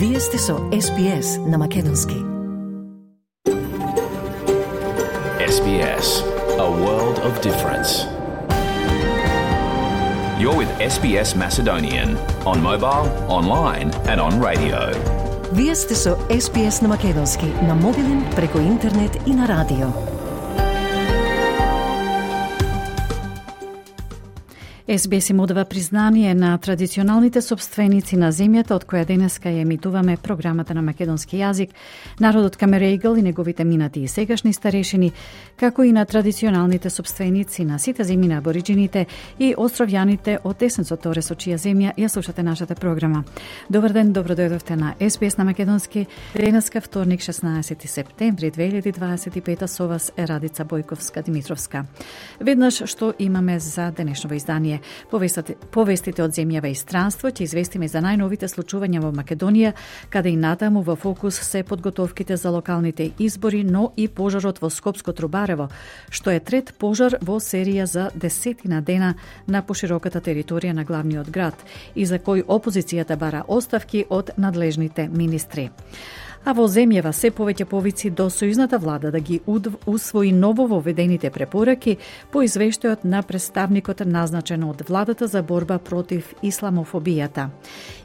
Вие сте со SBS на Македонски. SBS, a world of difference. You're with SBS Macedonian on mobile, online and on radio. Вие сте со SBS на Македонски на мобилен, преку интернет и на радио. SBS им одава признание на традиционалните собственици на земјата од која денеска ја емитуваме програмата на македонски јазик, народот Камерејгл и неговите минати и сегашни старешини, како и на традиционалните собственици на сите земји на абориджините и островјаните од Тесенцо Торе со чија земја ја слушате нашата програма. Добар ден, добро дојдовте на SBS на македонски. Денеска вторник 16 септември 2025 со вас е Радица Бојковска-Димитровска. Веднаш што имаме за денешново издание. Повестите од земјава и странство ќе известиме за најновите случувања во Македонија, каде и натаму во фокус се подготовките за локалните избори, но и пожарот во Скопско Трубарево, што е трет пожар во серија за 10 дена на пошироката територија на главниот град и за кој опозицијата бара оставки од надлежните министри. А во земјава се повеќе повици до сојузната влада да ги усвои ново воведените препораки по извештајот на представникот назначен од владата за борба против исламофобијата.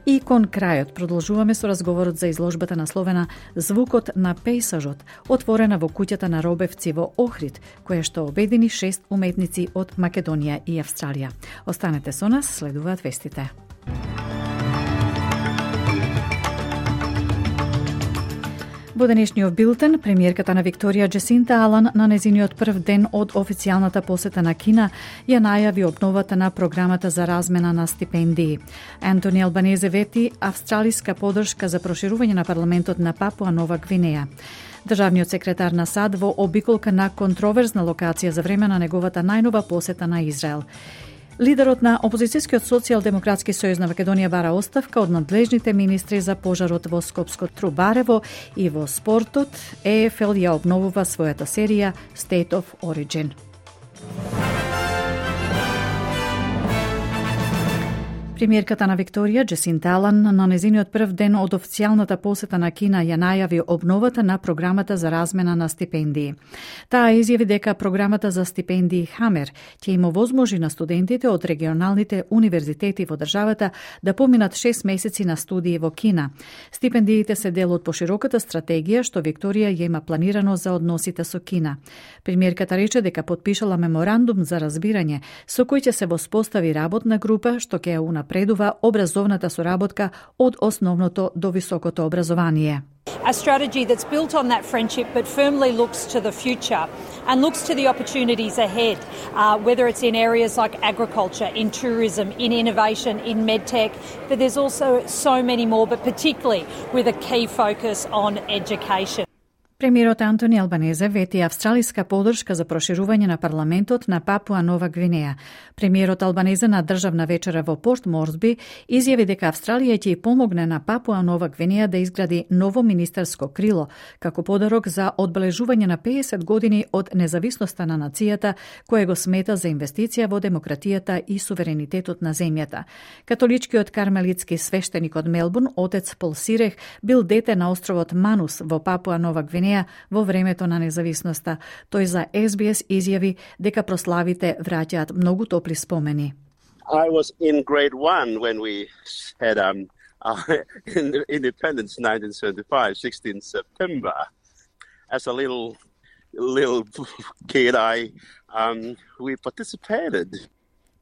И кон крајот продолжуваме со разговорот за изложбата насловена Звукот на пејсажот, отворена во куќата на Робевци во Охрид, која што обедини 6 уметници од Македонија и Австралија. Останете со нас, следуваат вестите. Во денешниот билтен, премиерката на Викторија Джесинта Алан на незиниот прв ден од официјалната посета на Кина ја најави обновата на програмата за размена на стипендии. Антони Албанезе вети австралиска поддршка за проширување на парламентот на Папуа Нова Гвинеја. Државниот секретар на САД во обиколка на контроверзна локација за време на неговата најнова посета на Израел. Лидерот на опозицијскиот социјалдемократски сојуз на Македонија бара оставка од надлежните министри за пожарот во Скопско Трубарево и во спортот ЕФЛ ја обновува својата серија State of Origin. Премиерката на Викторија Джесинта Алан на незиниот прв ден од официјалната посета на Кина ја најави обновата на програмата за размена на стипендии. Таа изјави дека програмата за стипендии Хамер ќе им овозможи на студентите од регионалните универзитети во државата да поминат 6 месеци на студии во Кина. Стипендиите се дел од пошироката стратегија што Викторија ја има планирано за односите со Кина. Премиерката рече дека потпишала меморандум за разбирање со кој ќе се воспостави работна група што ќе ја напредува образовната соработка од основното до високото образование. A strategy that's built on that friendship but firmly looks to the future and looks to the opportunities ahead, whether it's in areas like agriculture, in tourism, in innovation, in medtech, but there's also so many more, but particularly with a key focus on education. Премиерот Антони Албанезе вети австралиска поддршка за проширување на парламентот на Папуа Нова Гвинеја. Премиерот Албанезе на државна вечера во Порт Морсби изјави дека Австралија ќе помогне на Папуа Нова Гвинеја да изгради ново министерско крило, како подарок за одбележување на 50 години од независноста на нацијата, кој го смета за инвестиција во демократијата и суверенитетот на земјата. Католичкиот кармелитски свештеник од Мелбурн, отец Пол Сирех, бил дете на островот Манус во Папуа Нова Гвинеја во времето на независноста. Тој за SBS изјави дека прославите враќаат многу топли спомени. I was in grade 1 when we had independence 1975, 16 September. As a little kid, we participated.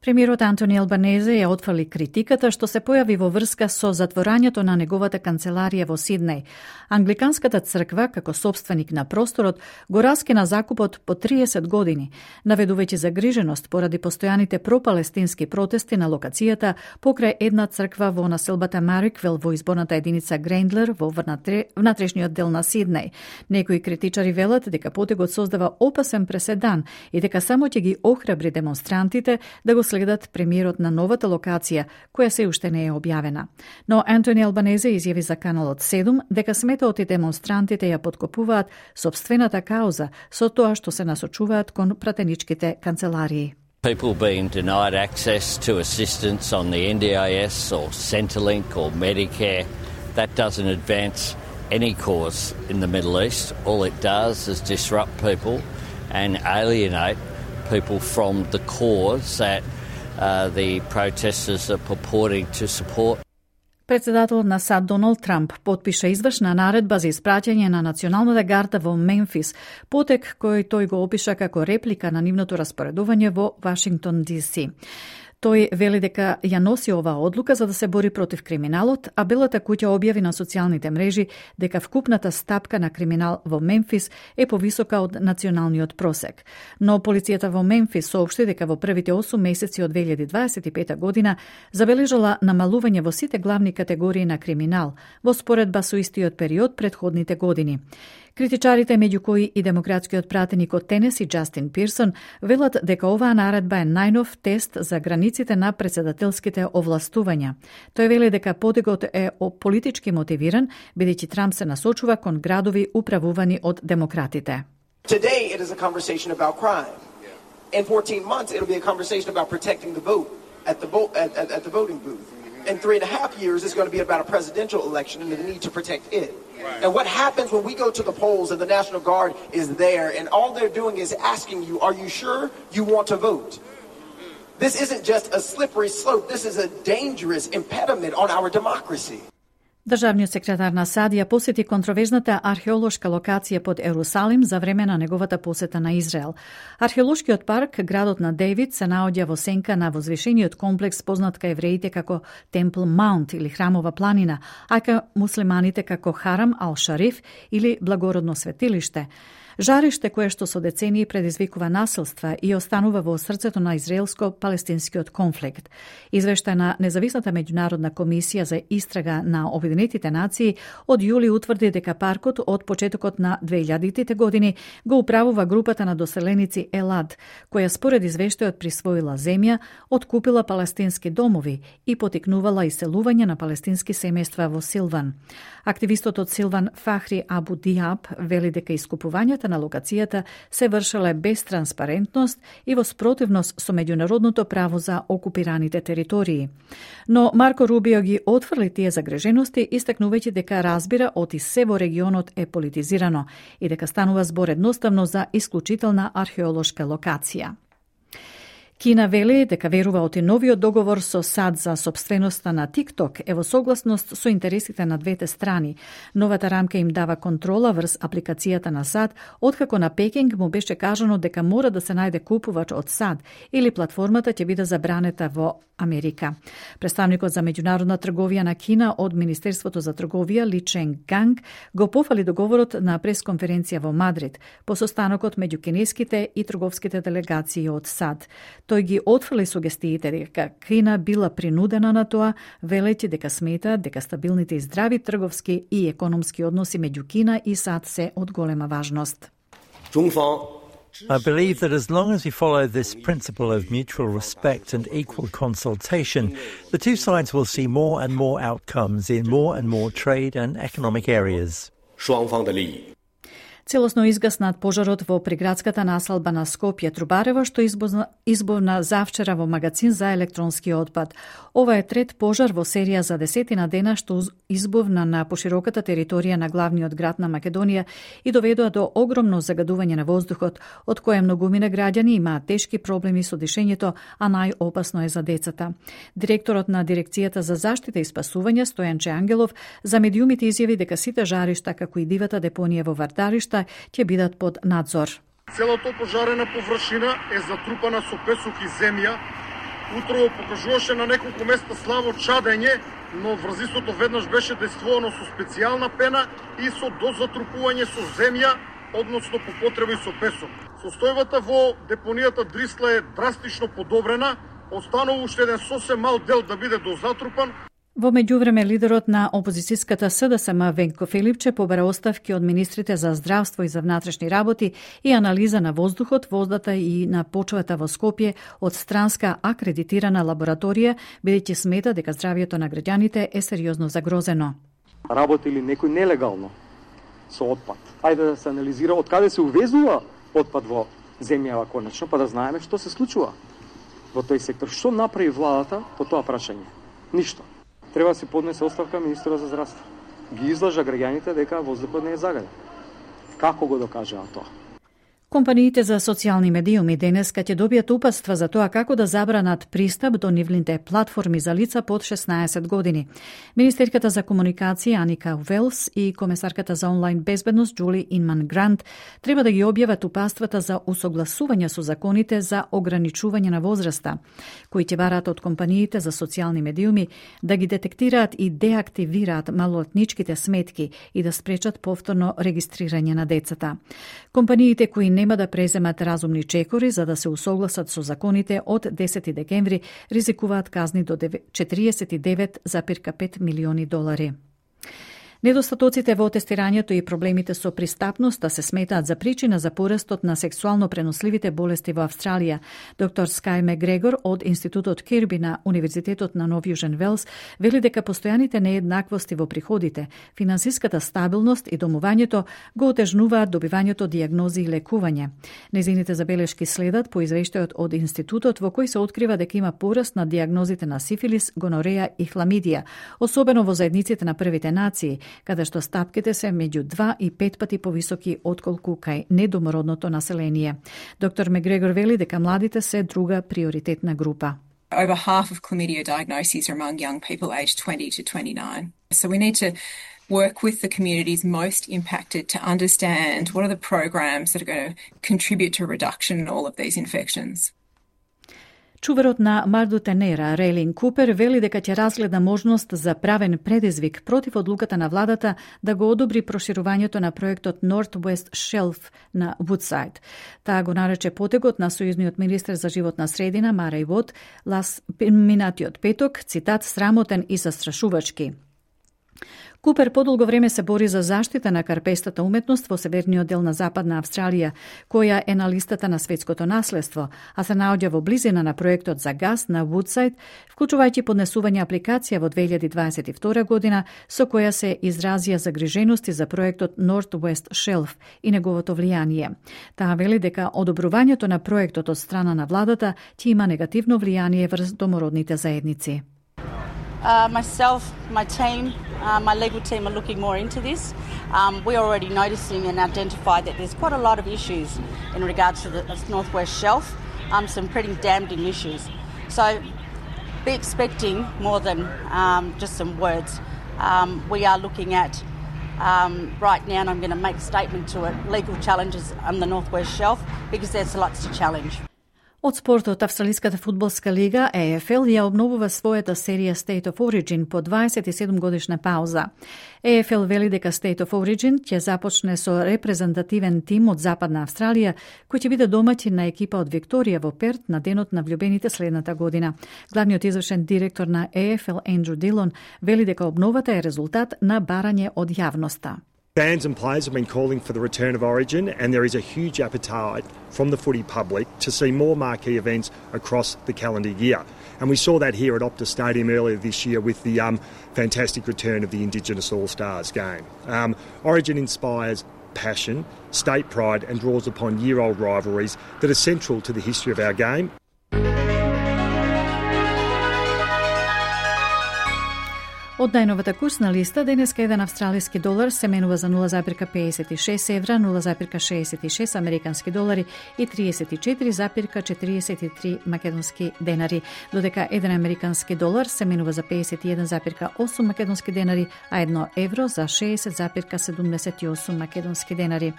Премиерот Антони Албанезе ја отфрли критиката што се појави во врска со затворањето на неговата канцеларија во Сиднеј. Англиканската црква, како собственик на просторот, го раскина закупот по 30 години, наведувајќи загриженост поради постојаните пропалестински протести на локацијата покрај една црква во населбата Мариквел во изборната единица Грендлер во внатрешниот дел на Сиднеј. Некои критичари велат дека потегот создава опасен преседан и дека само ќе ги охрабри демонстрантите да го следат премиерот на новата локација, која се уште не е објавена. Но Антони Албанезе изјави за Каналот 7 дека сметаот и демонстрантите ја подкопуваат собствената кауза со тоа што се насочуваат кон пратеничките канцеларии. People being denied access to assistance on the NDIS or Centrelink or Medicare That doesn't advance any cause in the Middle East. All it does is disrupt people and alienate people from the cause that the protesters are purporting to support. Председателот на САД Доналд Трамп потпиша извршна наредба за испраќање на националната гарда во Мемфис, потек кој тој го опиша како реплика на нивното распоредување во Вашингтон ДС. Тој вели дека ја носи оваа одлука за да се бори против криминалот, а Белата куќа објави на социјалните мрежи дека вкупната стапка на криминал во Мемфис е повисока од националниот просек. Но полицијата во Мемфис соопшти дека во првите 8 месеци од 2025 година забележала намалување во сите главни категории на криминал, во споредба со истиот период претходните години. Критичарите, меѓу кои и демократскиот пратеник од Тенеси Џастин Пирсон, велат дека оваа наредба е најнов тест за границите на председателските овластувања. Тој вели дека подигот е политички мотивиран, бидејќи Трамп се насочува кон градови управувани од демократите. Today it is a conversation about crime. In 14 months it'll be a conversation about protecting the vote at the voting booth. In 3.5 years it's going to be about a presidential election and the need to protect it. Right. And what happens when we go to the polls and the National Guard is there and all they're doing is asking you, are you sure you want to vote? This isn't just a slippery slope. This is a dangerous impediment on our democracy. Државниот секретар на САД ја посети контроверзната археолошка локација под Ерусалим за време на неговата посета на Израел. Археолошкиот парк, градот на Дејвид, се наоѓа во сенка на возвишениот комплекс познат кај евреите како Темпл Маунт или Храмова планина, а кај муслиманите како Харам ал-Шариф или Благородно светилиште. Жариште кое што со децении предизвикува насилства и останува во срцето на израелско-палестинскиот конфликт. Извештај на Независната меѓународна комисија за истрага на Обединетите нации од јули утврди дека паркот од почетокот на 2000-тите години го управува групата на доселеници Елад, која според извештајот присвоила земја, откупила палестински домови и потикнувала иселување на палестински семејства во Силван. Активистот од Силван Фахри Абу Диаб вели дека искупувањата на локацијата се вршеле без транспарентност и во спротивност со меѓународното право за окупираните територии. Но Марко Рубио ги отфрли тие загрежености, истакнувајќи дека разбира оти се во регионот е политизирано и дека станува збор едноставно за исклучителна археолошка локација. Кина вели дека верува оти новиот договор со САД за собственоста на TikTok е во согласност со интересите на двете страни. Новата рамка им дава контрола врз апликацијата на САД, откако на Пекинг му беше кажано дека мора да се најде купувач од САД или платформата ќе биде забранета во Америка. Представникот за меѓународна трговија на Кина од Министерството за трговија Ли Чен Ганг го пофали договорот на пресконференција во Мадрид по состанокот меѓу кинеските и трговските делегации од САД. Тој ги отфрли сугестиите дека Кина била принудена на тоа, велејќи дека смета дека стабилните и здрави трговски и економски односи меѓу Кина и САД се од голема важност. I believe that as long as we follow this principle of mutual respect and equal consultation, the two sides will see more and more outcomes in more and more trade and economic areas. Целосно изгаснат пожарот во приградската населба на Скопје Трубарево, што избовна завчера во магазин за електронски отпад. Ова е трет пожар во серија за 10 дена што избовна на пошироката територија на главниот град на Македонија и доведоа до огромно загадување на воздухот, од кое многумина граѓани имаат тешки проблеми со дишењето, а најопасно е за децата. Директорот на Дирекцијата за заштита и спасување Стојанче Ангелов за медиумите изјави дека сите жаришта, како и дивата депонија во Вардаришта, ќе бидат под надзор. Целото пожарена површина е затрупана со песок и земја. Утрово покажуваше на неколку места слабо чадење, но врзистото веднаш беше действувано со специјална пена и со дозатрупување со земја, односно по потреба и со песок. Состојбата во депонијата Дрисла е драстично подобрена, останува уште еден сосем мал дел да биде дозатрупан. Во меѓувреме, лидерот на опозицијската СДСМ Венко Филипче побара оставки од министрите за здравство и за внатрешни работи и анализа на воздухот, водата и на почвата во Скопје од странска акредитирана лабораторија, бидејќи смета дека здравјето на граѓаните е сериозно загрозено. Работи ли некој нелегално со отпад? Ајде да се анализира од каде се увезува отпад во земјава конечно, па да знаеме што се случува во тој сектор. Што направи владата по тоа прашање? Ништо. Треба да се поднесе оставка министерот за здравство. ги излажа граѓаните дека воздухот не е загаден. Како го докажаа тоа? Компаниите за социјални медиуми денеска ќе добијат упатства за тоа како да забранат пристап до нивните платформи за лица под 16 години. Министерката за комуникација Аника Велс и комесарката за онлайн безбедност Джули Инман Грант треба да ги објават упатствата за усогласување со законите за ограничување на возраста, кои ќе бараат од компаниите за социјални медиуми да ги детектираат и деактивираат малолетничките сметки и да спречат повторно регистрирање на децата. Компаниите кои нема да преземат разумни чекори за да се усогласат со законите од 10 декември ризикуваат казни до 49,5 милиони долари. Недостатоците во тестирањето и проблемите со пристапноста се сметаат за причина за порастот на сексуално преносливите болести во Австралија. Доктор Скај Мегрегор од Институтот Кирби на Универзитетот на Нов Јужен Велс вели дека постојаните нееднаквости во приходите, финансиската стабилност и домувањето го отежнуваат добивањето дијагнози и лекување. Незините забелешки следат по извештајот од Институтот во кој се открива дека има пораст на дијагнозите на сифилис, гонореја и хламидија, особено во заедниците на првите нации, каде што стапките се меѓу 2 и 5 пати повисоки отколку кај недомородното население. Доктор Мегрегор вели дека младите се друга приоритетна група. Over half of chlamydia diagnoses are among young people aged 20 to 29. So we need to work with the communities most impacted to understand what are the programs that are going to contribute to a reduction in all of these infections. Чуварот на Мардутенера, Рейлин Купер, вели дека ќе разгледа можност за правен предизвик против одлуката на владата да го одобри проширувањето на проектот Northwest Shelf на Woodside. Таа го нарече потегот на сојузниот министер за животна средина Мареј Вот минатиот петок, цитат, срамотен и застрашувачки. Купер подолго време се бори за заштита на карпестата уметност во северниот дел на Западна Австралија, која е на листата на светското наследство, а се наоѓа во близина на проектот за газ на Woodside, вклучувајќи поднесување апликација во 2022 година со која се изразија загрижености за проектот Northwest Shelf и неговото влијание. Таа вели дека одобрувањето на проектот од страна на владата ќе има негативно влијание врз домородните заедници. Myself, my team, my legal team are looking more into this. We're already noticing and identified that there's quite a lot of issues in regards to the Northwest Shelf, some pretty damning issues. So be expecting more than just some words. We are looking at right now, and I'm going to make a statement to it, legal challenges on the Northwest Shelf because there's lots to challenge. Од спортот, Австралиската фудбалска лига AFL ја обновува својата серија State of Origin по 27 годишна пауза. AFL вели дека State of Origin ќе започне со репрезентативен тим од Западна Австралија, кој ќе биде домаќин на екипа од Викторија во Перт на денот на влюбените следната година. Главниот извршен директор на AFL Андрю Дилон вели дека обновата е резултат на барање од јавноста. Fans and players have been calling for the return of Origin, and there is a huge appetite from the footy public to see more marquee events across the calendar year. And we saw that here at Optus Stadium earlier this year with the fantastic return of the Indigenous All-Stars game. Origin inspires passion, state pride, and draws upon year-old rivalries that are central to the history of our game. Од најновата курсна листа, денеска еден австралиски долар се менува за 0,56 евра, 0,66 американски долари и 34,43 македонски денари, додека еден американски долар се менува за 51,8 македонски денари, а 1 евро за 60,78 македонски денари.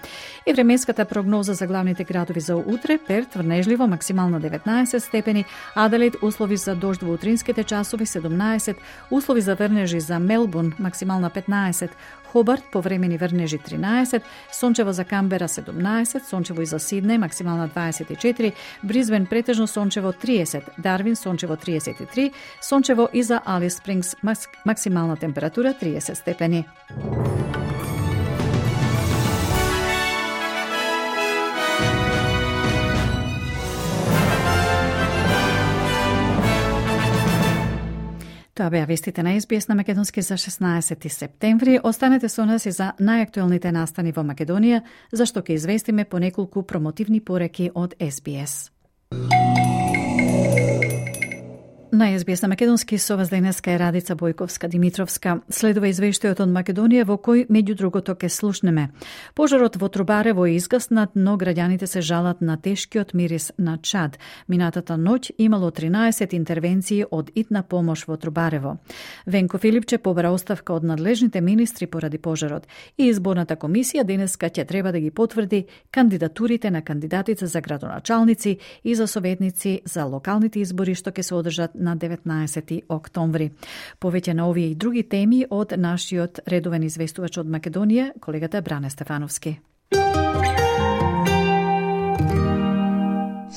И временската прогноза за главните градови за утре: Перт врнежливо, максимално 19 степени, Аделаид услови за дожд во утринските часови 17, услови за врнеж за Мелбурн максимална 15, Хобарт повремени врнежи 13, сончево за Камбера 17, сончево и за Сиднеј максимална 24, Бризбен претежно сончево 30, Дарвин сончево 33, сончево и за Алис Спрингс максимална температура 30 степени. Тоа беа вестите на SBS на Македонски за 16 септември. Останете со нас и за најактуелните настани во Македонија, зашто ќе известиме по неколку промотивни пореки од SBS. На СБС на македонски со вас денеска е Радица Бојковска-Димитровска. Следува извештајот од Македонија во кој меѓу другото ке слушнеме. Пожарот во Трубарево е изгаснат, но граѓаните се жалат на тешкиот мирис на чад. Минатата ноќ имало 13 интервенции од итна помош во Трубарево. Венко Филипче побара оставка од надлежните министри поради пожарот и изборната комисија денеска ќе треба да ги потврди кандидатурите на кандидатите за градоначалници и за советници за локалните избори што ќе се одржат на 19 октомври. Повеќе на овие и други теми од нашиот редовен известувач од Македонија, колегата Бране Стефановски.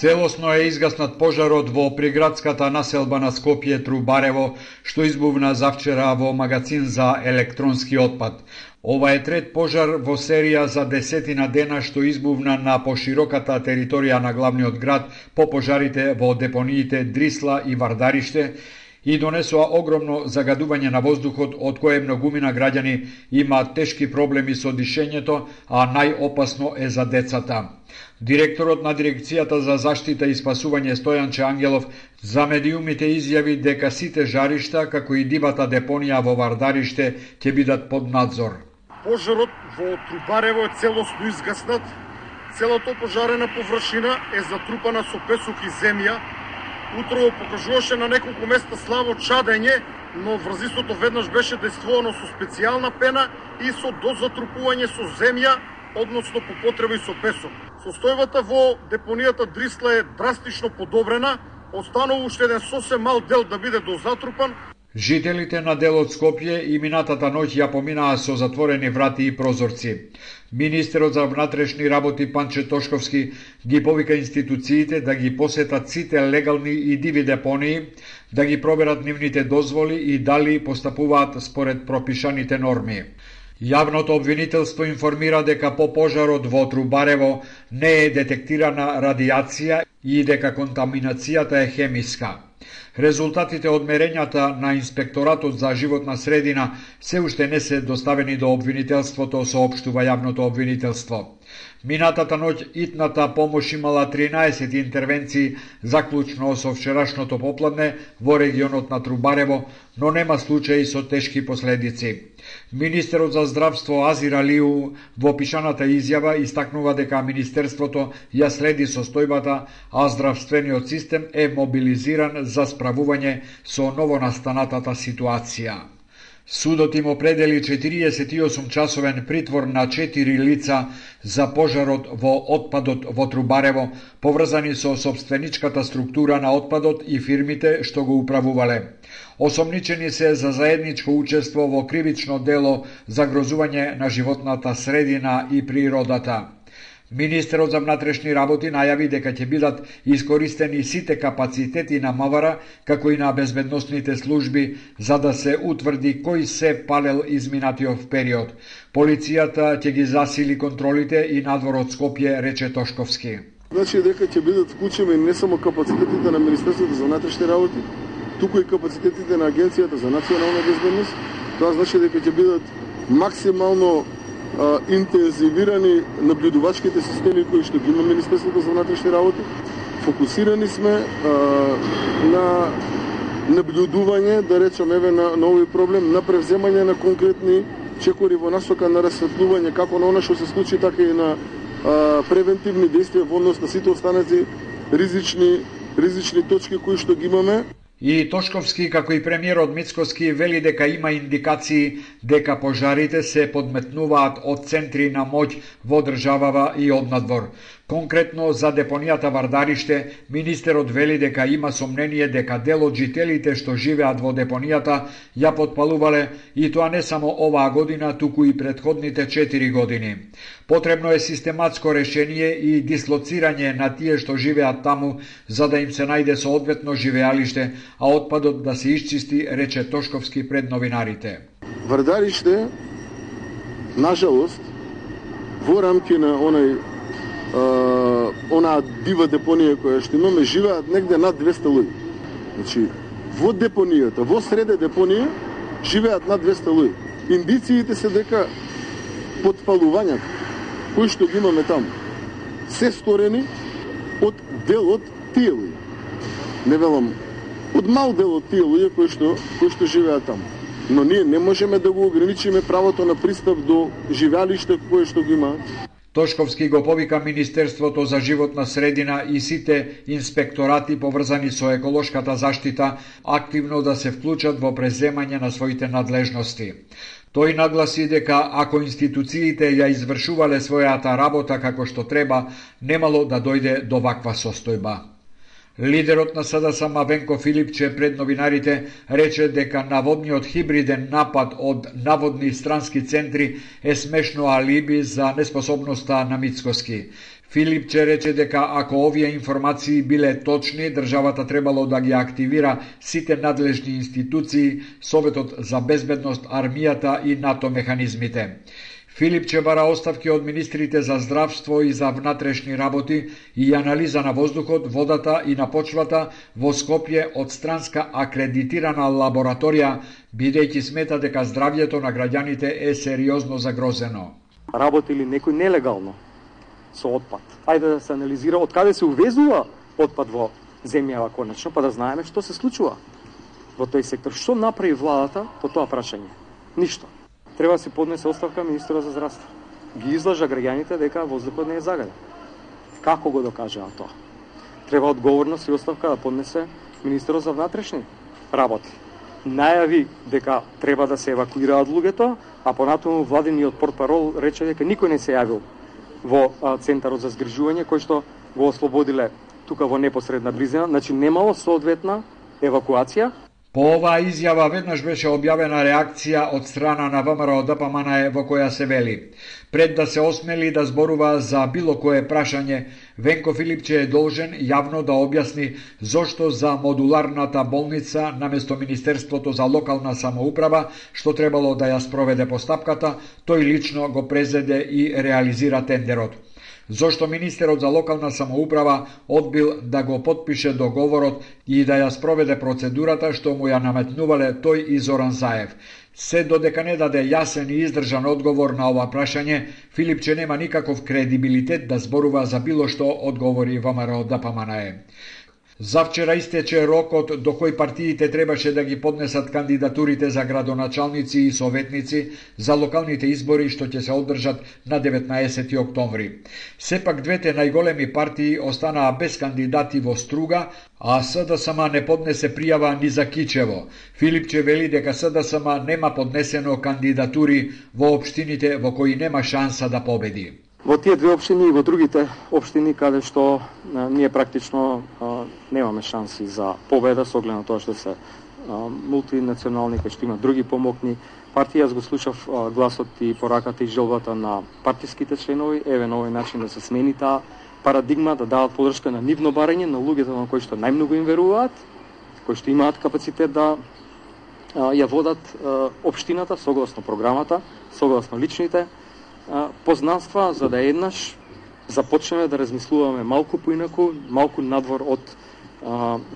Целосно е изгаснат пожарот во приградската населба на Скопје Трубарево, што избувна завчера во магазин за електронски отпад. Ова е трет пожар во серија за 10 дена што избувна на пошироката територија на главниот град по пожарите во депониите Дрисла и Вардариште и донесоа огромно загадување на воздухот, од кое многумина граѓани имаат тешки проблеми со дишењето, а најопасно е за децата. Директорот на Дирекцијата за заштита и спасување Стојанче Ангелов за медиумите изјави дека сите жаришта, како и дивата депонија во Вардариште, ќе бидат под надзор. Пожарот во Трубарево е целосно изгаснат. Целата пожарена површина е затрупана со песок и земја. Утрово покажуваше на неколку места слабо чадење, но врзистото веднаш беше дејствувано со специјална пена и со дозатрупување со земја, односно по потреба и со песок. Состојбата во депонијата Дрисла е драстично подобрена, останува уште еден сосем мал дел да биде дозатрупан. Жителите на делот Скопје и минатата ноќ ја поминаа со затворени врати и прозорци. Министерот за внатрешни работи Панче Тошковски ги повика институциите да ги посетат сите легални и диви депонии, да ги проверат нивните дозволи и дали постапуваат според пропишаните норми. Јавното обвинителство информира дека по пожарот во Трубарево не е детектирана радиација и дека контаминацијата е хемиска. Резултатите од мерењата на Инспекторатот за животна средина се уште не се доставени до обвинителството, соопштува јавното обвинителство. Минатата ноќ итната помош имала 13 интервенции, заклучно со вчерашното попладне во регионот на Трубарево, но нема случаи со тешки последици. Министерот за здравство Азир Алиу во пишаната изјава истакнува дека Министерството ја следи состојбата, а здравствениот систем е мобилизиран за справување со новонастанатата ситуација. Судот им определи 48-часовен притвор на 4 лица за пожарот во отпадот во Трубарево, поврзани со собственичката структура на отпадот и фирмите што го управувале. Осомничени се за заедничко учество во кривично дело за грозување на животната средина и природата. Министерот за внатрешни работи најави дека ќе бидат искористени сите капацитети на МВР, како и на безбедносните служби, за да се утврди кој се палел изминатиот период. Полицијата ќе ги засили контролите и надвор од Скопје, рече Тошковски. Значи дека ќе бидат вклучени не само капацитетите на Министерството за внатрешни работи, туку и капацитетите на Агенцијата за национална безбедност. Тоа значи дека ќе бидат максимално интензивирани наблюдувачките системи кои што ги има Министерството за внатрешни работи. Фокусирани сме на наблюдување, да речеме, на нови проблем, на превземање на конкретни чекори во насока на расветлување како на она што се случи, така и на превентивни действија во однос на сите останати ризични точки кои што ги имаме. И Тошковски, како и премиерот Мицкоски, вели дека има индикации дека пожарите се подметнуваат од центри на моќ во државава и од надвор. Конкретно за депонијата Вардариште, министерот вели дека има сомнение дека дел од жителите што живеат во депонијата ја потпалувале, и тоа не само оваа година, туку и претходните 4 години. Потребно е систематско решение и дислоцирање на тие што живеат таму, за да им се најде соодветно живеалиште, а отпадот да се исчисти, рече Тошковски пред новинарите. Вардариште, нажалост, во рамки на онаа дива депонија која што имаме, живеат негде над 200 луѓе. Значи, во депонијата, во среде депонија, живеат над 200 луѓе. Индициите се дека потпалувањата кои што ги имаме таму се сторени од дел од тие луѓе. Не велам од мал дел од тие луѓе кои што живеат таму. Но ние не можеме да го ограничиме правото на пристап до живеалиште кое што го имаат. Тошковски го повика Министерството за животна средина и сите инспекторати поврзани со еколошката заштита активно да се вклучат во преземање на своите надлежности. Тој нагласи дека ако институциите ја извршувале својата работа како што треба, немало да дојде до ваква состојба. Лидерот на СДСМ Венко Филипче пред новинарите рече дека наводниот хибриден напад од наводни странски центри е смешно алиби за неспособноста на Мицкоски. Филипче рече дека ако овие информации биле точни, државата требало да ги активира сите надлежни институции, Советот за безбедност, армијата и НАТО механизмите. Филипче бара оставки од министрите за здравство и за внатрешни работи и анализа на воздухот, водата и на почвата во Скопје од странска акредитирана лабораторија, бидејќи смета дека здравјето на граѓаните е сериозно загрозено. Работи ли некој нелегално со отпад? Ајде да се анализира од каде се увезува отпад во земјава конечно, па да знаеме што се случува во тој сектор. Што направи владата по тоа прашање? Ништо. Треба да се поднесе оставка министерот за здравство. Ги излажа граѓаните дека воздухот не е загаден. Како го докажаа тоа? Треба одговорност и оставка да поднесе министерот за внатрешни работи. Најави дека треба да се евакуираат луѓето, а понатаму владиниот портпарол рече дека никој не се јавил во центарот за згрижување кој што го ослободиле тука во непосредна близина, значи немало соодветна евакуација. По оваа изјава веднаш беше објавена реакција од страна на ВМРО ДПМН во која се вели: пред да се осмели да зборува за било кое прашање, Венко Филипче е должен јавно да објасни зошто за модуларната болница наместо Министерството за локална самоуправа, што требало да ја спроведе постапката, тој лично го презеде и реализира тендерот. Зошто министерот за локална самоуправа одбил да го потпише договорот и да ја спроведе процедурата што му ја наметнувале тој и Зоран Заев. Се додека не даде јасен и издржан одговор на ова прашање, Филипче нема никаков кредибилитет да зборува за било што, одговори ВМРО ДПМН. Завчера истече рокот до кој партиите требаше да ги поднесат кандидатурите за градоначалници и советници за локалните избори што ќе се одржат на 19 октомври. Сепак двете најголеми партии останаа без кандидати во Струга, а СДСМ не поднесе пријава ни за Кичево. Филипче вели дека СДСМ нема поднесено кандидатури во општините во кои нема шанса да победи. Во тие две општини и во другите општини каде што ние практично немаме шанси за победа со оглед на тоа што се мултинационални, кај што има други помокни партии. Јас го слушав гласот и пораката и желбата на партиските членови, еве на овој начин да се смени таа парадигма, да дават подршка на нивно барање, на луѓето на кои што најмногу им веруваат, кои што имаат капацитет да ја водат општината согласно програмата, согласно личните познанства, за да еднаш започнеме да размислуваме малку поинаку, малку надвор од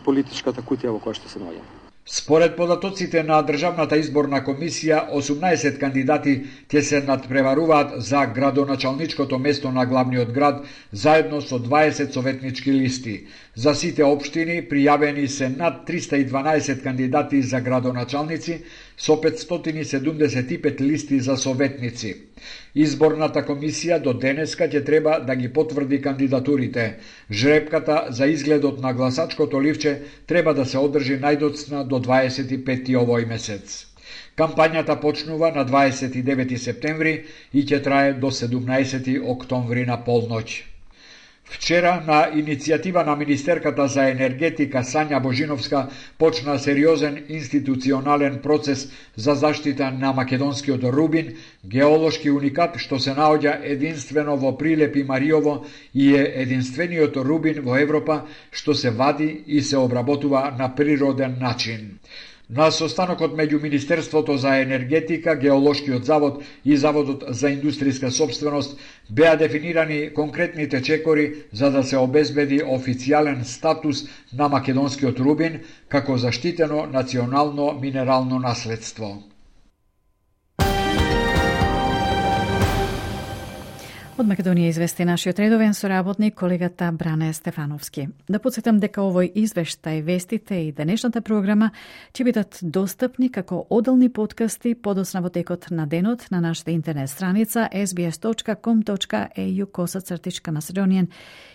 политичката кутија во која што се наоѓаме. Според податоците на Државната изборна комисија, 18 кандидати ќе се надпреваруваат за градоначалничкото место на главниот град, заедно со 20 советнички листи. За сите општини пријавени се над 312 кандидати за градоначалници, со 575 листи за советници. Изборната комисија до денеска ќе треба да ги потврди кандидатурите. Жребката за изгледот на гласачкото ливче треба да се одржи најдоцна до 25 овој месец. Кампањата почнува на 29 септември и ќе трае до 17 октомври на полноќ. Вчера на иницијатива на Министерката за енергетика Сања Божиновска почна сериозен институционален процес за заштита на македонскиот рубин, геолошки уникат што се наоѓа единствено во Прилепи Мариово и е единствениот рубин во Европа што се вади и се обработува на природен начин. На состанокот меѓу Министерството за енергетика, Геолошкиот завод и Заводот за индустријска собственост беа дефинирани конкретните чекори за да се обезбеди официјален статус на македонскиот рубин како заштитено национално минерално наследство. Од Македонија извести нашиот редовен соработник, колегата Бране Стефановски. Да подсетам дека овој извештај, вестите и денешната програма ќе бидат достапни како оделни подкасти подоцна во текот на денот на нашата интернет страница sbs.com.au/Macedonian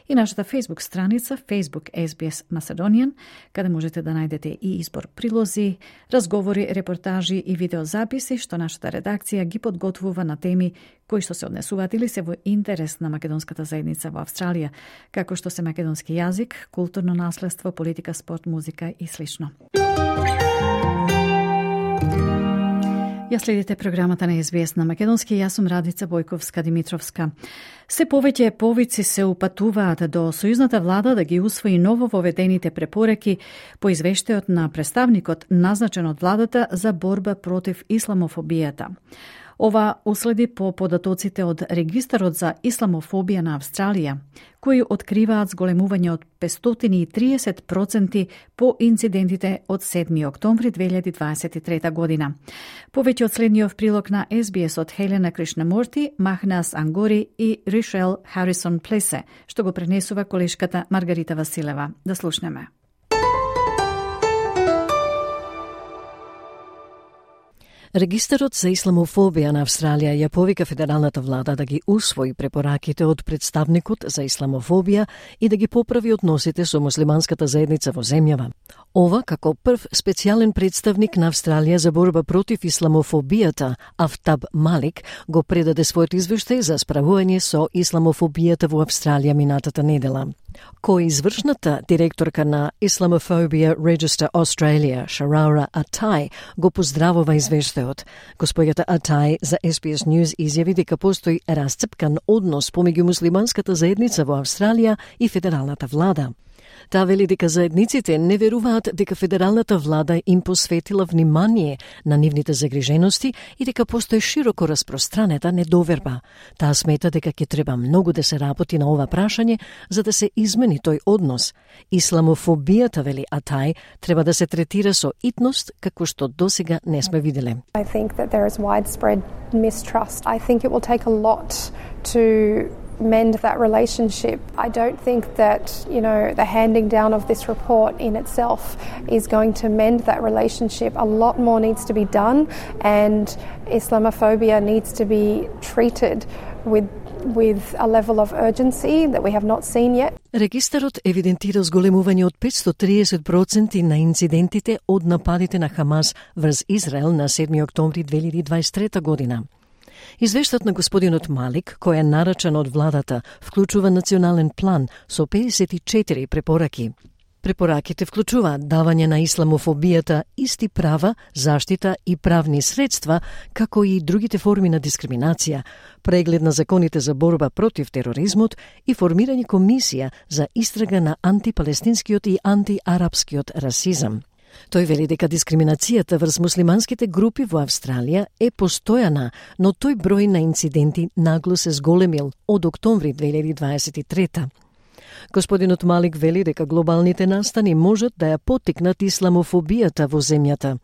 и нашата Facebook страница Facebook SBS Macedonian, каде можете да најдете и избор прилози, разговори, репортажи и видеозаписи што нашата редакција ги подготвува на теми кои што се однесуваат или се во интерес на македонската заедница во Австралија, како што се македонски јазик, културно наследство, политика, спорт, музика и слично. Ја следите програмата на SBS на македонски, јас сум Радица Бојковска-Димитровска. Се повеќе повици се упатуваат до сојузната влада да ги усвои ново воведените препораки по извештајот на представникот назначен од владата за борба против исламофобијата. Ова уследи по податоците од Регистарот за исламофобија на Австралија, кои откриваат зголемување од 530% по инцидентите од 7 октомври 2023 година. Повеќе од следниот прилог на SBS од Хелена Кришнамурти, Махнас Ангори и Ришел Харисон Плесе, што го пренесува колешката Маргарита Василева. Да слушнеме. Регистарот за исламофобија на Австралија ја повика федералната влада да ги усвои препораките од представникот за исламофобија и да ги поправи односите со муслиманската заедница во земјава. Ова како прв специјален представник на Австралија за борба против исламофобијата, Афтаб Малик, го предаде својот извештај за справување со исламофобијата во Австралија минатата недела. Кој извршната директорка на Islamophobia Register Australia, Sharara Atai, го поздравува извештајот. Господјата Atai за SBS News изјави дека постои расцепкан однос помеѓу муслиманската заедница во Австралија и федералната влада. Таа вели дека заедниците не веруваат дека федералната влада им посветила внимание на нивните загрижености и дека постои широко распространета недоверба. Таа смета дека ќе треба многу да се работи на ова прашање за да се измени тој однос. Исламофобијата, вели Атай, треба да се третира со итност како што досега не сме виделе. I think that there is widespread mistrust. I think it will take a lot to mend that relationship. I don't think that, the handing down of this report in itself is going to mend that relationship. A lot more needs to be done, and Islamophobia needs to be treated with a level of urgency that we have not seen yet. Регистарот евидентира зголемување од 530% на инцидентите од нападите на Хамас врз Израел на 7 октомври 2023 година. Извештајот на господинот Малик, кој е нарачен од владата, вклучува национален план со 54 препораки. Препораките вклучуваат давање на исламофобијата исти права, заштита и правни средства, како и другите форми на дискриминација, преглед на законите за борба против тероризмот и формирање комисија за истрага на антипалестинскиот и антиарапскиот расизам. Тој вели дека дискриминацијата врз муслиманските групи во Австралија е постојана, но тој број на инциденти нагло се зголемил од октомври 2023. Господинот Малик вели дека глобалните настани можат да ја поттикнат исламофобијата во земјата.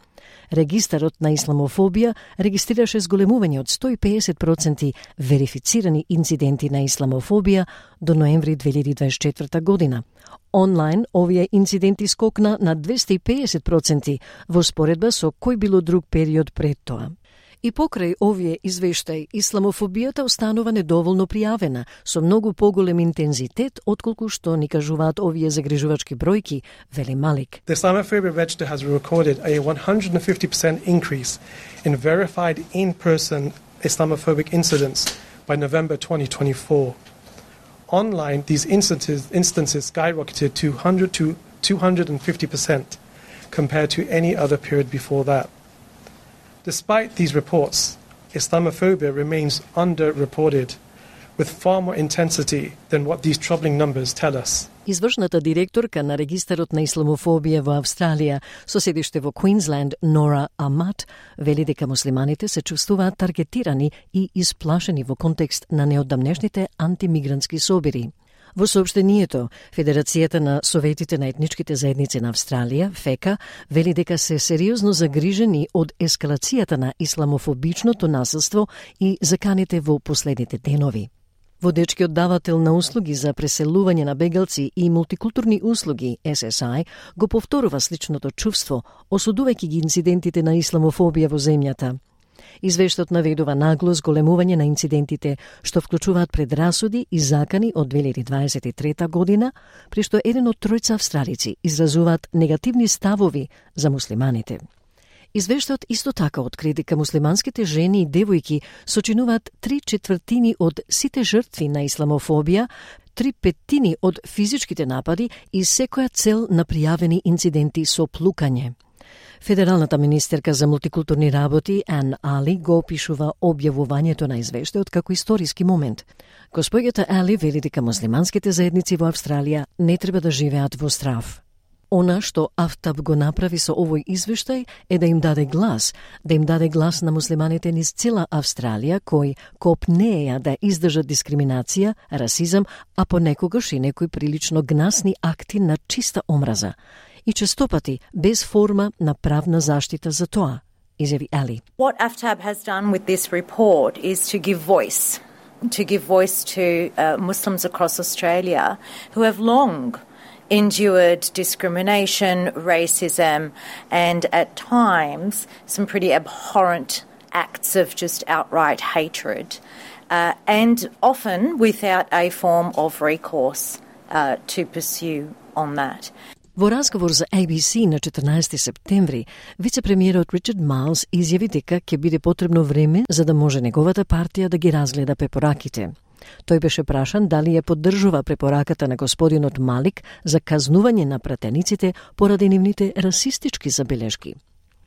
Регистарот на исламофобија регистрираше зголемување од 150% верифицирани инциденти на исламофобија до ноември 2024 година. Онлайн овие инциденти скокна на 250% во споредба со кој било друг период пред тоа. И покрај овие извештај, исламофобијата останува недоволно пријавена, со многу поголем интензитет, отколку што ни кажуваат овие загрижувачки бројки, вели Малик. The Islamophobia Register has recorded a 150% increase in verified in-person Islamophobic incidents by November 2024. Online, these instances skyrocketed to 100 to 250% compared to any other period before that. Despite these reports, Islamophobia remains underreported with far more intensity than what these troubling numbers tell us. Извршната директорка на Регистарот на исламофобија во Австралија, со седиште во Квинсленд, Нора Амат, вели дека муслиманите се чувствуваат таргетирани и исплашени во контекст на неодамнешните антимигрантски собири. Во соопштението, Федерацијата на Советите на етничките заедници на Австралија, ФЕКА, вели дека се сериозно загрижени од ескалацијата на исламофобичното насилство и заканите во последните денови. Водечкиот давател на услуги за преселување на бегалци и мултикултурни услуги, SSI, го повторува сличното чувство, осудувајќи ги инцидентите на исламофобија во земјата. Извештот наведува нагло зголемување на инцидентите, што вклучуваат предрасуди и закани од 2023 година, при што еден од тројца австралици изразуваат негативни ставови за муслиманите. Извештајот исто така откри дека муслиманските жени и девојки сочинуваат 3/4 од сите жртви на исламофобија, 3/5 од физичките напади и секоја цел на пријавени инциденти со плукање. Федералната министерка за мултикултурни работи Ан Али го опишува објавувањето на извештајот како историски момент. Господјата Али вели дека муслиманските заедници во Австралија не треба да живеат во страв. Она што Афтаб го направи со овој извештај е да им даде глас на муслиманите низ цела Австралија кои копнеја да издржат дискриминација, расизам, а понекогаш и некои прилично гнасни акти на чиста омраза. И честопати без форма на правна заштита за тоа, изјави Али. What AFTAB has done with this report is to give voice to Muslims across Australia who have long endured discrimination, racism, and at times some pretty abhorrent acts of just outright hatred, and often without a form of recourse to pursue on that. Во разговор за ABC на 14 септември, вице-премиерот Ричард Майлс изјави дека ќе биде потребно време за да може неговата партија да ги разгледа препораките. Тој беше прашан дали ја поддржува препораката на господинот Малик за казнување на пратениците поради нивните расистички забелешки.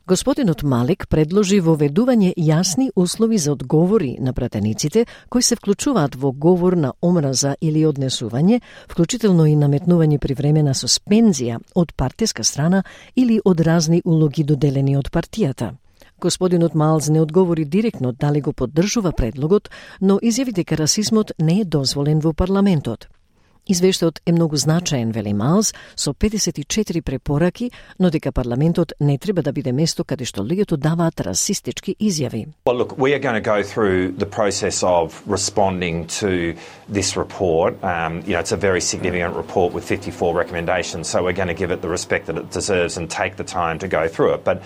Господинот Малик предложи воведување јасни услови за одговори на пратениците кои се вклучуваат во говор на омраза или однесување, вклучително и наметнување привремена суспензија од партиска страна или од разни улоги доделени од партијата. Господинот Майлс не одговори директно дали го поддржува предлогот, но изјави дека расизмот не е дозволен во парламентот. Извештајот е многу значаен, вели Майлс, со 54 препораки, но дека парламентот не треба да биде место каде што луѓето даваат расистички изјави. Well, look, we are going to go through the process of responding to this report. It's a very significant report with 54 recommendations, so we're going to give it the respect that it deserves and take the time to go through it. But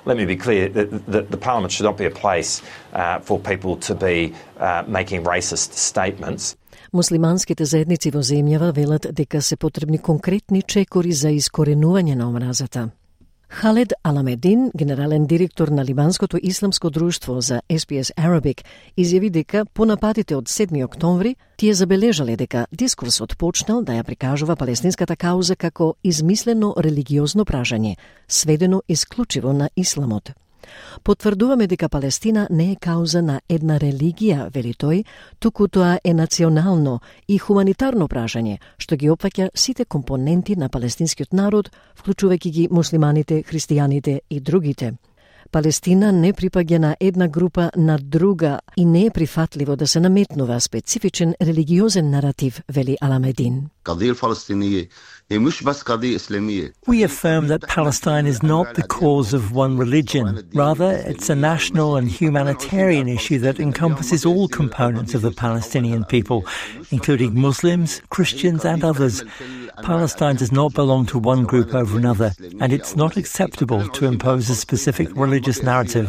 let me be clear, that the Parliament should not be a place for people to be making racist statements. Муслиманските заедници во земјава велат дека се потребни конкретни чекори за искоренување на омразата. Халед Аламедин, генерален директор на Либанското исламско друштво за SPS Arabic, изјави дека по нападите од 7 октомври тие забележале дека дискурсот почнал да ја прикажува палестинската кауза како измислено религиозно пражање, сведено исклучиво на исламот. Потврдуваме дека Палестина не е кауза на една религија, вели тој, туку тоа е национално и хуманитарно пражање, што ги опфаќа сите компоненти на палестинскиот народ, вклучувајќи ги муслиманите, христијаните и другите. Палестина не припаѓа на една група на друга и не е прифатливо да се наметнува специфичен религиозен наратив, вели Аламедин. We affirm that Palestine is not the cause of one religion. Rather, it's a national and humanitarian issue that encompasses all components of the Palestinian people, including Muslims, Christians and others. Palestine does not belong to one group over another, and it's not acceptable to impose a specific religious narrative.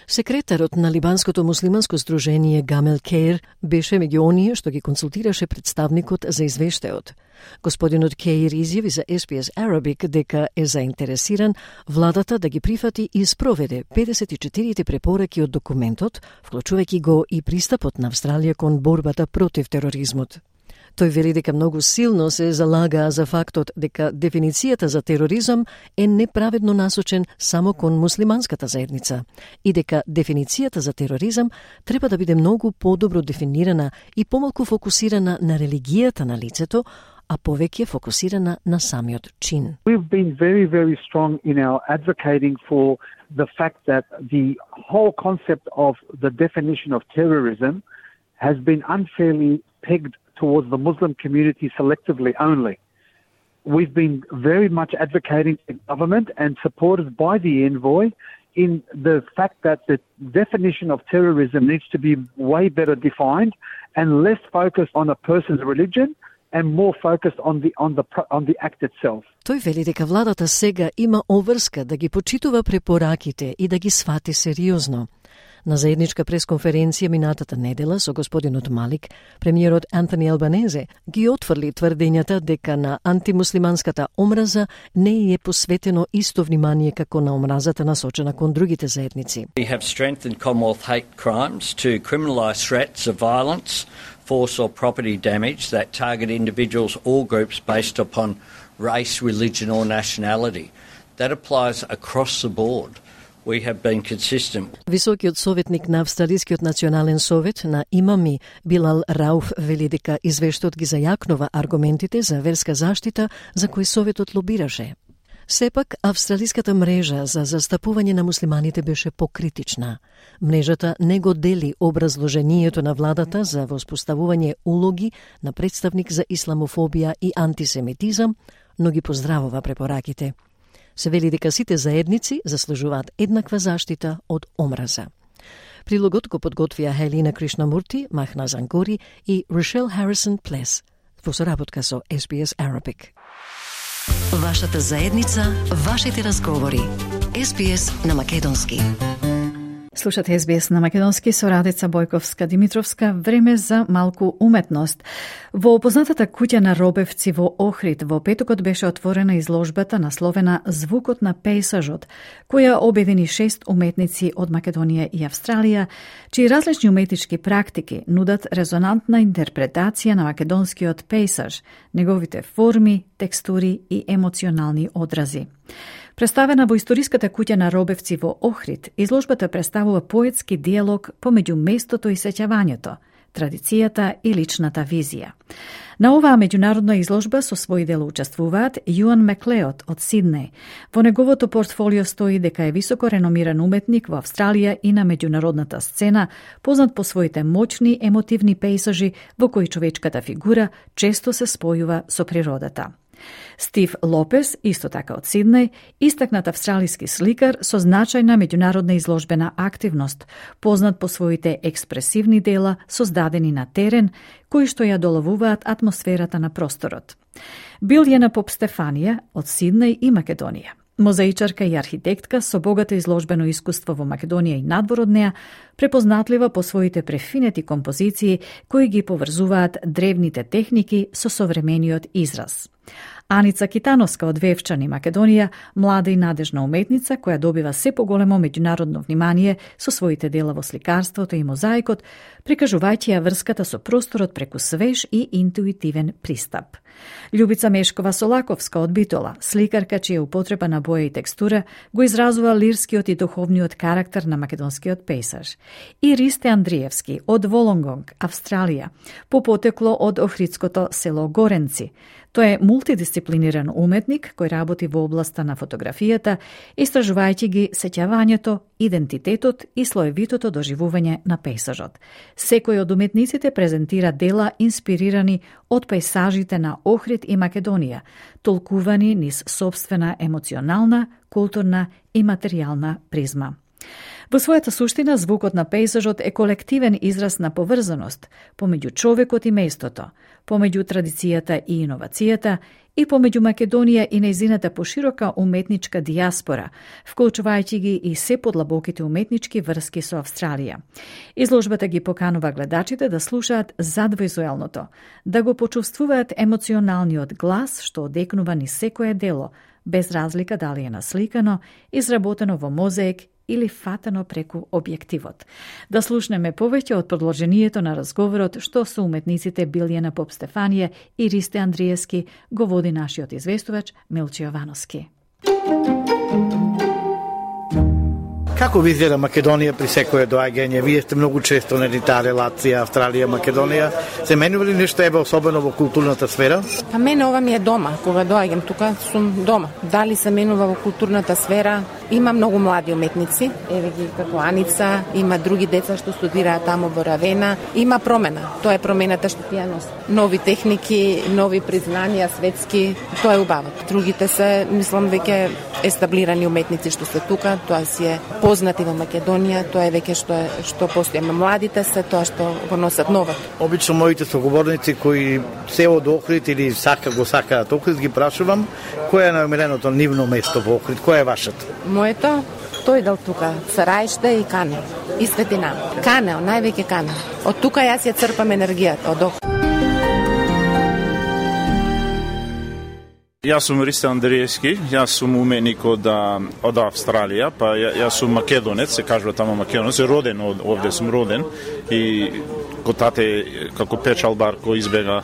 Секретарот на Либанското муслиманско сдружение Гамел Кейр беше меѓу оние што ги консултираше представникот за извештајот. Господинот Кейр изјави за SPS Arabic дека е заинтересиран владата да ги прифати и спроведе 54 препораки од документот, вклучувајќи го и пристапот на Австралија кон борбата против тероризмот. Тој вели дека многу силно се залага за фактот дека дефиницијата за тероризам е неправедно насочен само кон муслиманската заедница и дека дефиницијата за тероризам треба да биде многу подобро дефинирана и помалку фокусирана на религијата на лицето, а повеќе фокусирана на самиот чин. We've been very, very strong in our advocating for the fact that the whole concept of the definition of terrorism has been unfairly pegged towards the Muslim community selectively only. We've been very much advocating the government and supported by the envoy in the fact that the definition of terrorism needs to be way better defined and less focused on a person's religion and more focused on the act itself. Тој вели дека владата сега има обврска да ги почитува препораките и да ги свати сериозно. На заедничка пресконференција минатата недела со господинот Малик, премиерот Антони Албанезе ги отфрли тврдењата дека на антимуслиманската омраза не е посветено исто внимание како на омразата насочена кон другите заедници. We have strengthened Commonwealth hate crimes to criminalise threats of violence, force or property damage that target individuals or groups based upon race, religion or nationality. That applies across the board. We have been consistent. Високиот советник на Австралискиот национален совет на имами Билал Рауф вели дека извештајот ги зајакнува аргументите за верска заштита за кои советот лобираше. Сепак, австралиската мрежа за застапување на муслиманите беше покритична. Мрежата не го дели образложението на владата за воспоставување улоги на представник за исламофобија и антисемитизам, но ги поздравува препораките. Се вели дека сите заедници заслужуваат еднаква заштита од омраза. Прилогот го подготвија Хелина Кришнамурти, Махна Зангори и Рошел Харисон Плес во соработка со SBS Arabic. Вашата заедница, вашите разговори. SBS на македонски. Слушате SBS на македонски со Радица Бојковска-Димитровска. Време за малку уметност. Во познатата куќа на Робевци во Охрид во петокот беше отворена изложбата насловена Звукот на пејсажот, која обедини 6 уметници од Македонија и Австралија, чии различни уметнички практики нудат резонантна интерпретација на македонскиот пејсаж, неговите форми, текстури и емоционални одрази. Представена во историската куќа на Робевци во Охрид, изложбата представува поетски диалог помеѓу местото и сеќавањето, традицијата и личната визија. На оваа меѓународна изложба со своји дела учествуваат Јуан Маклеод од Сиднеј. Во неговото портфолио стои дека е високо реномиран уметник во Австралија и на меѓународната сцена, познат по своите моćни емотивни пејсажи во кои човечката фигура често се спојува со природата. Стив Лопес, исто така од Сиднеј, истакнат австралиски сликар со значајна меѓународна изложбена активност, познат по своите експресивни дела создадени на терен, кои што ја доловуваат атмосферата на просторот. Билјана Поп-Стефанија од Сиднеј и Македонија. Мозаичарка и архитектка со богато изложбено искуство во Македонија и надвор од неа, препознатлива по своите префинети композиции кои ги поврзуваат древните техники со современиот израз. Аница Китановска од Вевчани, Македонија, млада и надежна уметница која добива се поголемо меѓународно внимание со своите дела во сликарството и мозаикот, прикажувајќи ја врската со просторот преку свеж и интуитивен пристап. Љубица Мешкова Солаковска од Битола, сликарка чија употреба на боја и текстура го изразува лирскиот и духовниот карактер на македонскиот пејсаж. И Ристе Андриевски од Волонгонг, Австралија, по потекло од охридското село Горенци. Тој е мултидисциплиниран уметник кој работи во областа на фотографијата, истражувајќи ги сеќавањето, идентитетот и слоевитото доживување на пејсажот. Секој од уметниците презентира дела инспирирани од пејсажите на Охрид и Македонија, толкувани низ собствена емоционална, културна и материјална призма. Во својата суштина, звукот на пејсажот е колективен израз на поврзаност помеѓу човекот и местото, помеѓу традицијата и иновацијата и помеѓу Македонија и нејзината поширока уметничка дијаспора, вклучувајќи ги и се подлабоките уметнички врски со Австралија. Изложбата ги поканува гледачите да слушаат задвојзуелното, да го почувствуваат емоционалниот глас што одекнува низ секое дело, без разлика дали е насликано, изработено во мозаик или фатено преку објективот. Да слушнеме повеќе од продолжението на разговорот што со уметниците Билјана Поп-Стефанија и Ристе Андриевски го води нашиот известувач Милче Јовановски. Како ви изгледа Македонија при секое доаѓање? Вие сте многу често на таа релација Австралија-Македонија. Се менува ли нешто особено во културната сфера? Па мене ова ми е дома. Кога доаѓам тука сум дома. Дали се менува во културната сфера? Има многу млади уметници, еве ги како Аница, има други деца што студираат таму во Равена. Има промена, тоа е промената што тие носат. Нови техники, нови признанија светски, тоа е убаво. Другите се, мислам, веќе естаблирани уметници што се тука, тоа си е познати во Македонија, тоа е веќе што постои. Младите се тоа што го носат ново. Обично моите соговорници кои се од Охрид или сакаат Охрид, ги прашувам кој е најомиленото нивно место во Охрид, кој е вашето? Моето, тој дел тука, Сараиште и Кане, и Светина. Кане, највеќе Кане. Од тука јас ја црпам енергијата, од Охрид. Јас сум Ристо Андриевски, јас сум уметник од Австралија, па јас сум македонец, се кажува тамо македонец, роден овде сум роден и ко тате како печалбар кој избега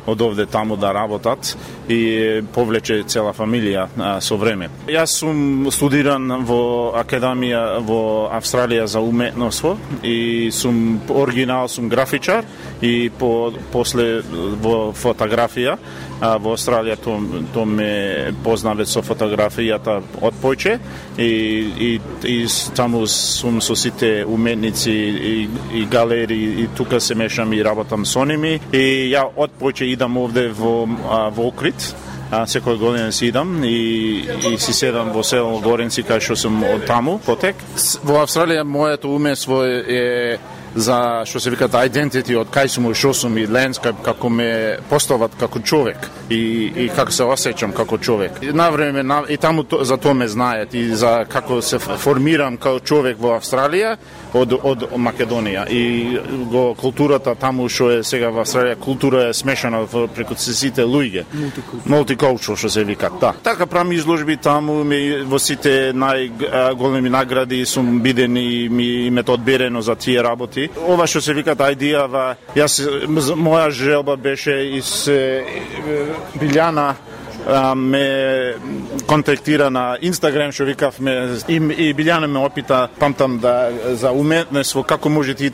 од овде таму да работат и повлече цела фамилија со време. Јас сум студиран во академија во Австралија за уметноство и сум оригинал, сум графичар и после во фотографија. Во Австралија тоа ме познаве со фотографијата од појче и таму сум со сите уметници и галери и тука се мешам и работам со ними и ја од појче идам овде во Охрид. Секој година си идам и си седам во село Горенци, кај што сум од таму потек. Во Австралија моето умество е за што се викат identity, од кај сум и што сум и landscape, како ме постават како човек и како се осеќам како човек. Навреме и таму за тоа ме знаат и за како се формирам како човек во Австралија од Македонија и го културата таму што е сега во Австралија, култура е смешана преку сите луѓе. Multicultural што се викат, да. Така правам изложби таму, во сите најголеми награди сум биден и ме одберено за тие работи. Ова што се викат идејава, моја желба беше и се Билјана ме контактира на Инстаграм, што викавме и Билјана ме опита, памтам за уметноство, како може ти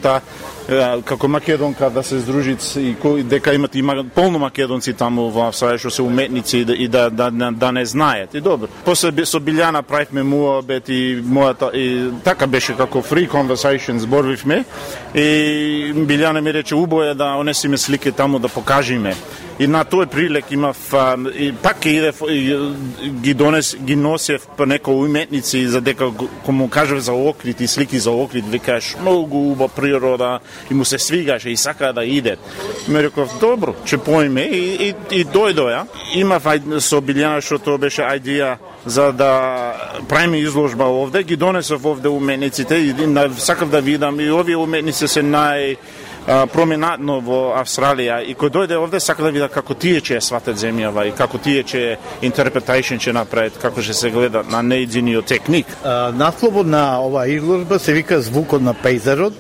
како македонка да се здружи и дека има полно македонци таму во Австралија што се уметници и да не знаат. И добро. После со Билјана правивме муабет и мојата и така беше како free conversation зборувивме и Билјана ми рече убаво е да онесиме слики таму да покажиме. И на тој прилик имав и пак ги носев по некои уметници за дека кому кажав за Охрид и слики за Охрид, викаш многу убава природа и му се свигаше и сака да иде. Ме реков добро, ќе поиме и дојдоја. Имав со Билјана што тоа беше идеја за да правиме изложба овде, ги донесов овде уметниците и сакав да видам и овие уметници се променатно во Австралија и кој дојде овде сака да види како тие ќе сватат земјава и како тие ќе интерпретација ќе направат, како ќе се гледа на нејзиниот техник. Насловот на оваа изложба се вика Звукот на пејзажот.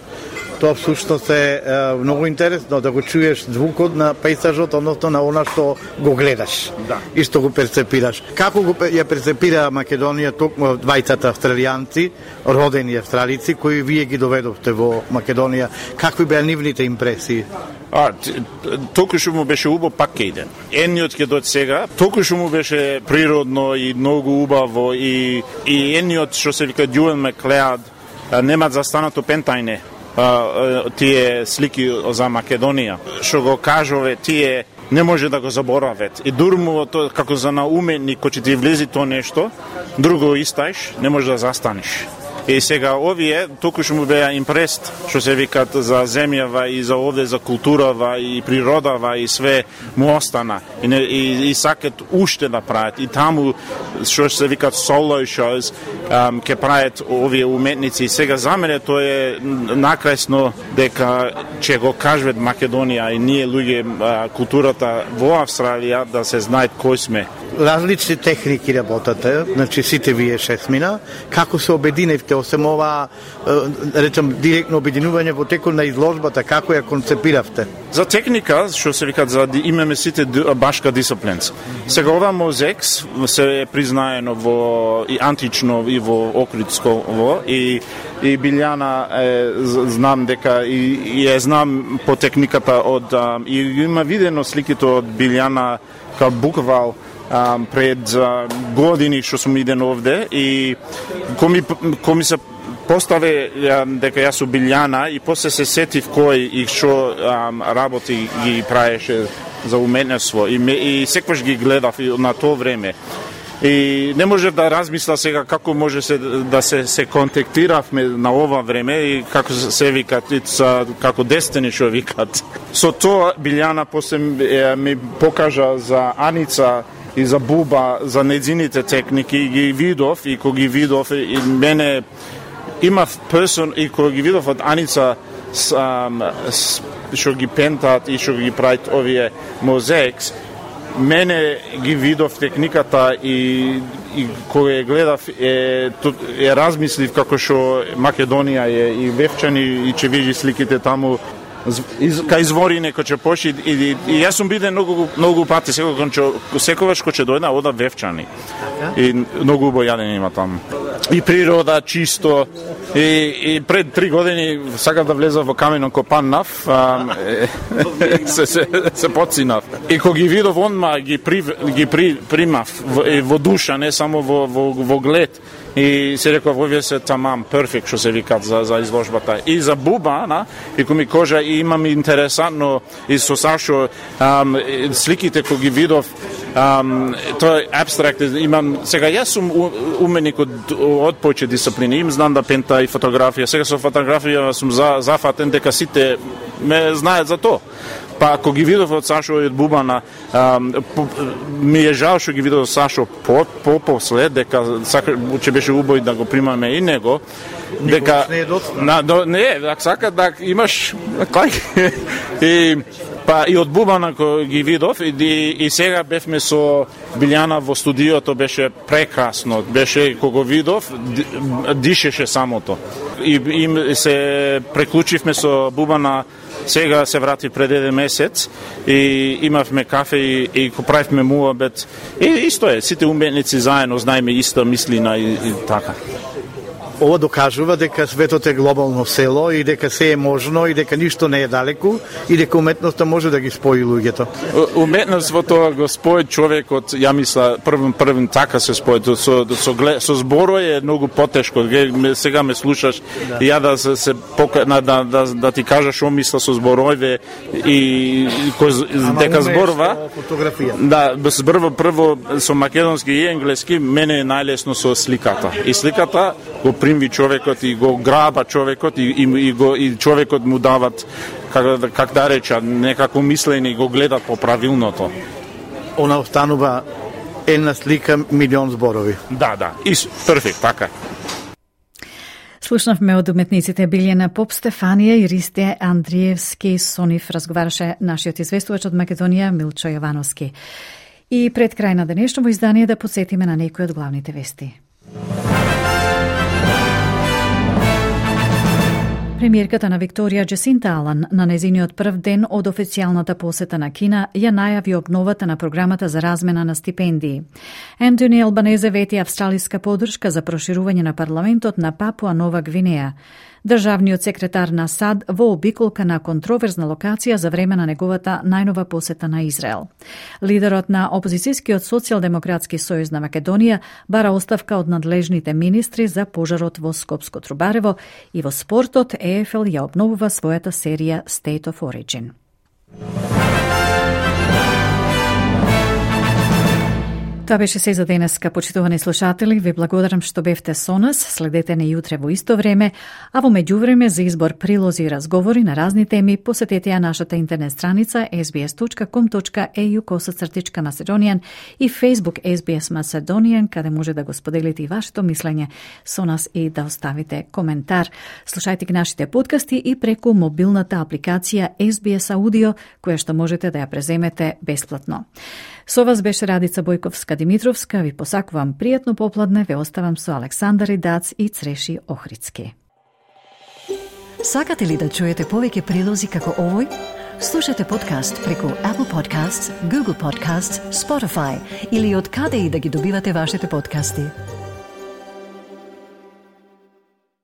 Тоа всушност е многу интересно да го чуеш звукот на пејзажот, односно на она што го гледаш и што го перцепираш. Како ја перцепира Македонија токму двајцата австралијанци, родени австралици, кои вие ги доведовте во Македонија? Какви беа нивните импресии? Толку што му беше убаво, пак ке иде. Едниот ќе дојде сега, толку што му беше природно и многу убаво и едниот што се вика Дюен Маклеод немаат застанато пентајне тие слики за Македонија. Што го кажуве, тие не може да го заборават. И дурму тоа како за на уметник, кој ќе ти влези тоа нешто, друго истаеш, не може да застанеш. И сега овие толку што му беа импрест, што се викат за земјава и за овде за културава и природава и све му остана. И сакат уште да прават. И таму што се викат solo shows ке прават овие уметници. И сега за мене тоа е накрајсно дека ќе го кажат Македонија и ние луѓе културата во Австралија да се знаат кој сме. Различни техники работате, значи сите вие шесмина. Како се обединевте, осем ова, речем, директно обединување во текот на изложбата, како ја концепиравте? За техника, што се викат, имаме сите башка дисциплинс. Сега ова мозекс се е признаено во и антично и во Охридско и Билјана знам дека и ја знам по техниката од и има видено сликите од Билјана као буквал пред години што сум иден овде и кој ми се постави дека јас сум Билјана и после се сетив кој и што работи ги праеше за уметноство и секогаш ги гледав на тоа време. И не можев да размисла сега како може да се контактиравме на ова време и како се викат, како Destiny што викат. Со тоа Билјана после ми покажа за Аница и за Буба, за нејзините техники, ги видов и кога ги видов и мене имав персон и кога ги видов од Аница што ги пентат и што ги прават овие мозаикс, мене ги видов техниката и кога ја гледав размислив како што Македонија е и Вевчани и че види сликите таму кај изворине кој ќе поши и јас сум биден многу пати секогаш кој ќе дојде ода Вевчани и многу убаво јадење има таму и природа чисто и пред 3 години сакав да влезав во каменон копан нав се подсинав и кога ги видов онма ги примав во душа, не само во глед и се реков овие се тамам перфект што се викат за изложбата и за Буба и кога ми кажа и имам интересантно и со Сашо сликите кога ги видов тоа е абстракт, имам сега јас сум уменик од повеќе дисциплини, им знам да пента и фотографија, сега со фотографија сум зафатен дека сите ме знаат за тоа. Па кога ги видов од Сашо и од Бубана, ми е жал што ги видов од Сашо после, дека ќе беше убаво да го примаме и него, дека не, сака да имаш па и од Бубана кој ги видов и сега бевме со Билјана во студиото, беше прекрасно, беше кога видов дишеше самото и се преклучивме со Бубана. Сега се врати пред 1 месец и имавме кафе и го правивме муабет. И исто е, сите уметници заедно знаеме иста мислина и така. Ова докажува дека светот е глобално село и дека се е можно и дека ништо не е далеку и дека уметноста може да ги спои луѓето. Уметноството го спои човекот, ја мисла, првен така се спои. Со зборо е многу потешко. Сега ме слушаш и ја да ти кажаш што мисла со зборове и дека зборува. Да, зборува прво со македонски и енглески, мене е најлесно со сликата. И сликата го примви човекот и го граба човекот и човекот му дават как да реча некако мислење и го гледат по правилното. Она останува една слика милион зборови. Да, перфект, така. Слушнавме од уметниците Билјана Поп, Стефанија и Ристе Андриевски. Со нив разговараше нашиот известувач од Македонија Милчо Јовановски. И пред крај на денешното издание да подсетиме на некои од главните вести. Премиерката на Викторија Джесинта Алан на незиниот прв ден од официјалната посета на Кина ја најави обновата на програмата за размена на стипендии. Ентони Албанезе вети австралиска поддршка за проширување на парламентот на Папуа Нова Гвинеја. Државниот секретар на САД во обиколка на контроверзна локација за време на неговата најнова посета на Израел. Лидерот на опозицијскиот социјалдемократски сојуз на Македонија бара оставка од надлежните министри за пожарот во Скопско-Трубарево и во спортот ЕФЛ ја обновува својата серија State of Origin. Тоа беше се за денеска, почитувани слушатели. Ви благодарам што бевте со нас. Следете не јутре во исто време, а во меѓувреме за избор прилози и разговори на разни теми посетете ја нашата интернет страница sbs.com.au/Macedonian и Facebook SBS Macedonian, каде може да го споделите и вашето мислење со нас и да оставите коментар. Слушајте ги нашите подкасти и преку мобилната апликација SBS Audio, која што можете да ја преземете бесплатно. Со вас беше Радица Бојковска-Димитровска. Ви посакувам пријатно попладне. Ве оставам со Александар Идац и Цреши Охридски. Сакате ли да чуете повеќе прилози како овој? Слушате подкаст преку Apple Podcasts, Google Podcasts, Spotify или од каде и да ги добивате вашите подкасти.